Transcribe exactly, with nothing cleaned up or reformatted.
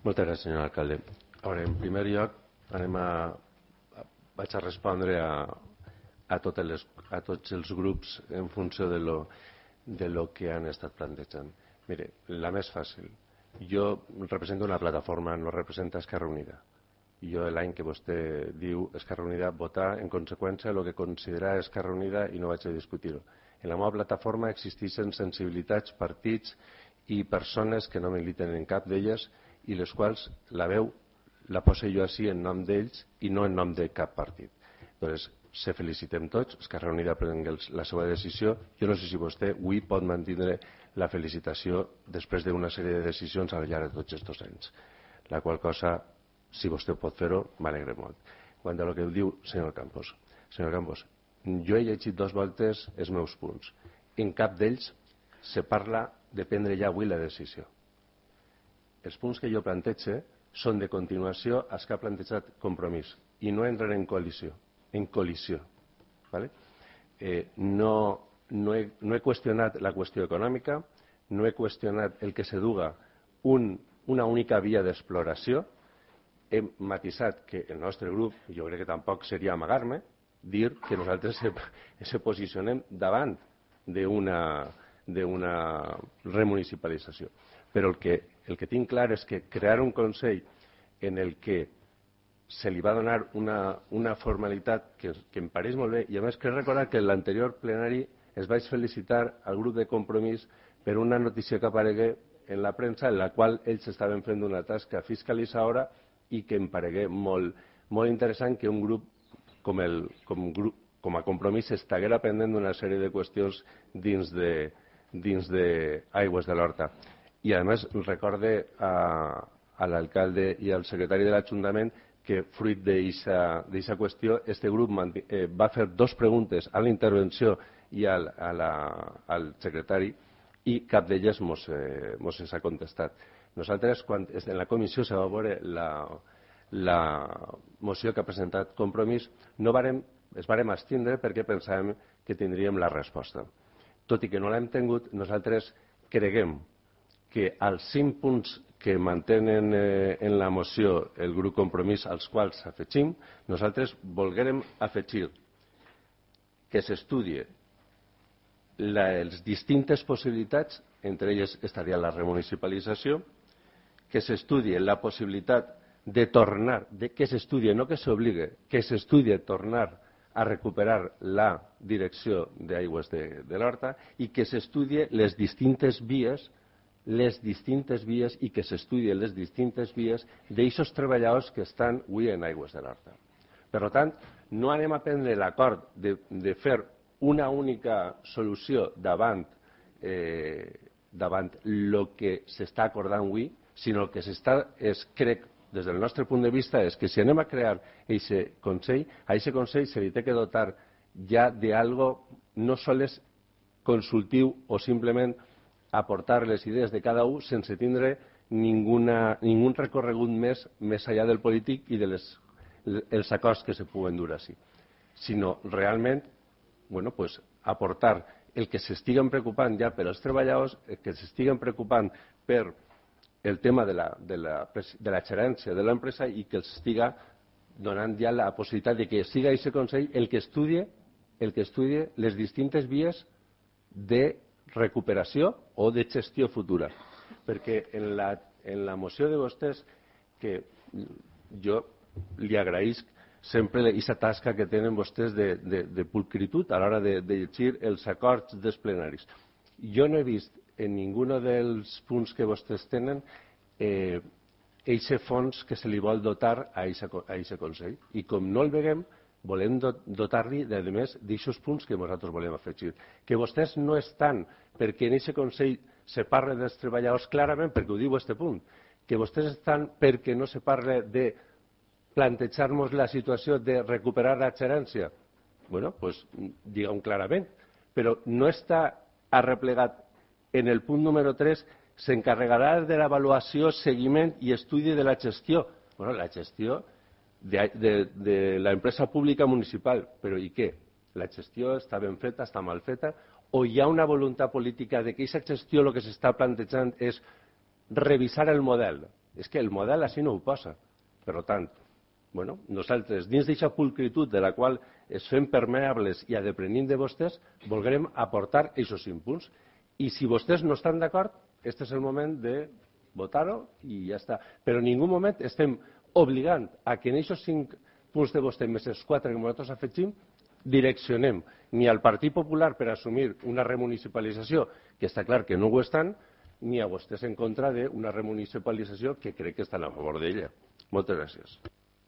Moltes gràcies, senyor alcalde. A veure, en primer lloc, anem a, a, vaig a respondre a, a, totes les, a tots els grups en funció de lo, de lo que han estat plantejant. Mire, la més fàcil. Jo represento una plataforma, no representa Esquerra Unida. Jo l'any que vostè diu Esquerra Unida votar en conseqüència el que considera Esquerra Unida i no vaig a discutir-ho. En la meva plataforma existeixen sensibilitats, partits i persones que no militen en cap d'elles i les quals la veu la poso jo així en nom d'ells i no en nom de cap partit. Doncs se felicitem tots, Esquerra Unida prengui la seva decisió. Jo no sé si vostè avui pot mantenir la felicitació després d'una sèrie de decisions al llarg de tots aquests anys. La qual cosa, si vostè pot fer-ho, m'alegre molt. Quant a el que diu senyor Campos. Senyor Campos, jo he llegit dues voltes els meus punts. En cap d'ells se parla de prendre ja avui la decisió. Els punts que jo plantege són de continuació als que ha plantejat Compromís i no entren en coalició, en col·lisió. ¿Vale? Eh, no, no, he, no he qüestionat la qüestió econòmica, no he qüestionat el que se duga un, una única via d'exploració. He matisat que el nostre grup, jo crec que tampoc seria amagar-me, dir que nosaltres se, se posicionem davant d'una d'una remunicipalització. Però el que, el que tinc clar és que crear un Consell en el que se li va donar una, una formalitat que, que em pareix molt bé, i a més crec recordar que en l'anterior plenari es vaig felicitar al grup de Compromís per una notícia que aparegué en la premsa en la qual ells estaven fent una tasca fiscalitzadora i que em paregué molt, molt interessant que un grup com, el, com, grup, com a Compromís estiguera pendent d'una sèrie de qüestions dins de dins d'Aigües de l'Horta. I a més recorde a, a l'alcalde i al secretari de l'Ajuntament que fruit d'aquesta qüestió este grup eh, va fer dos preguntes a la intervenció i al, a la, al secretari i cap d'elles mos, eh, mos ha contestat. Nosaltres, quan en la comissió se va veure la, la moció que ha presentat Compromís, no varem, es varem abstindre perquè pensàvem que tindríem la resposta. Tot i que no l'hem tingut, nosaltres creguem que als cinc punts que mantenen eh, en la moció el grup Compromís, als quals afegim, nosaltres volguérem afegir que s'estudie les distintes possibilitats, entre elles estaria la remunicipalització, que s'estudie la possibilitat de tornar, de que s'estudie, no que s'obligue, que s'estudie tornar a recuperar la direcció d'Aigües de, de l'Horta i que s'estudie les distintes vies les distintes vies i que s'estudien les distintes vies d'eixos treballadors que estan avui en Aigües de l'Horta. Per tant, no anem a prendre l'acord de, de fer una única solució davant eh, davant el que s'està acordant avui, sinó el que s'està, és, crec, des del nostre punt de vista, és que si anem a crear aquest Consell, a aquest Consell se li té que dotar ja d'algo no sols consultiu o simplement aportar les idees de cada un sense tindre ninguna, ningun recorregut més més enllà del polític i dels els acords que se puguen dur així, sinó realment bueno, pues, aportar el que s'estiguen preocupant ja per als treballadors, el que s'estiguen preocupant per el tema de la, de la, de la gerència de l'empresa i que els estiga donant ja la possibilitat de que siga aquest Consell el que estudie, el que estudie les distintes vies de recuperació o de gestió futura. Perquè en la, en la moció de vostès, que jo li agraïsc sempre aquesta tasca que tenen vostès de, de, de pulcritud a l'hora de, de llegir els acords dels plenaris. Jo no he vist en ningú dels punts que vostès tenen eh, eixe fons que se li vol dotar a aquest Consell. I com no el veiem, volem dotar-li, a més, d'aixòs punts que nosaltres volem afegir. Que vostès no estan perquè en aquest Consell se parla dels treballadors clarament, perquè ho diu aquest punt, que vostès estan perquè no se parla de plantejar-nos la situació de recuperar la gerència. Bueno, doncs digueu clarament. Però no està arreplegat en el punt número tres, s'encarregarà de l'avaluació, seguiment i estudi de la gestió. Bueno, la gestió de, de, de l'empresa pública municipal. Però i què? La gestió està ben feta, està mal feta? O hi ha una voluntat política de que aquesta gestió el que s'està plantejant és revisar el model? És que el model així no ho posa. Per tant, bueno, nosaltres, dins d'aquesta pulcritud de la qual es fem permeables i adeprenim de vostès, volguem aportar aquests cinc punts. I si vostès no estan d'acord, aquest és el moment de votar-ho i ja està. Però en ningú moment estem obligant a que en aquests cinc punts de vostè, més els quatre que nosaltres afegim, direccionem ni al Partit Popular per assumir una remunicipalització, que està clar que no ho estan, ni a vostès en contra d'una remunicipalització que crec que estan a favor d'ella. Moltes gràcies.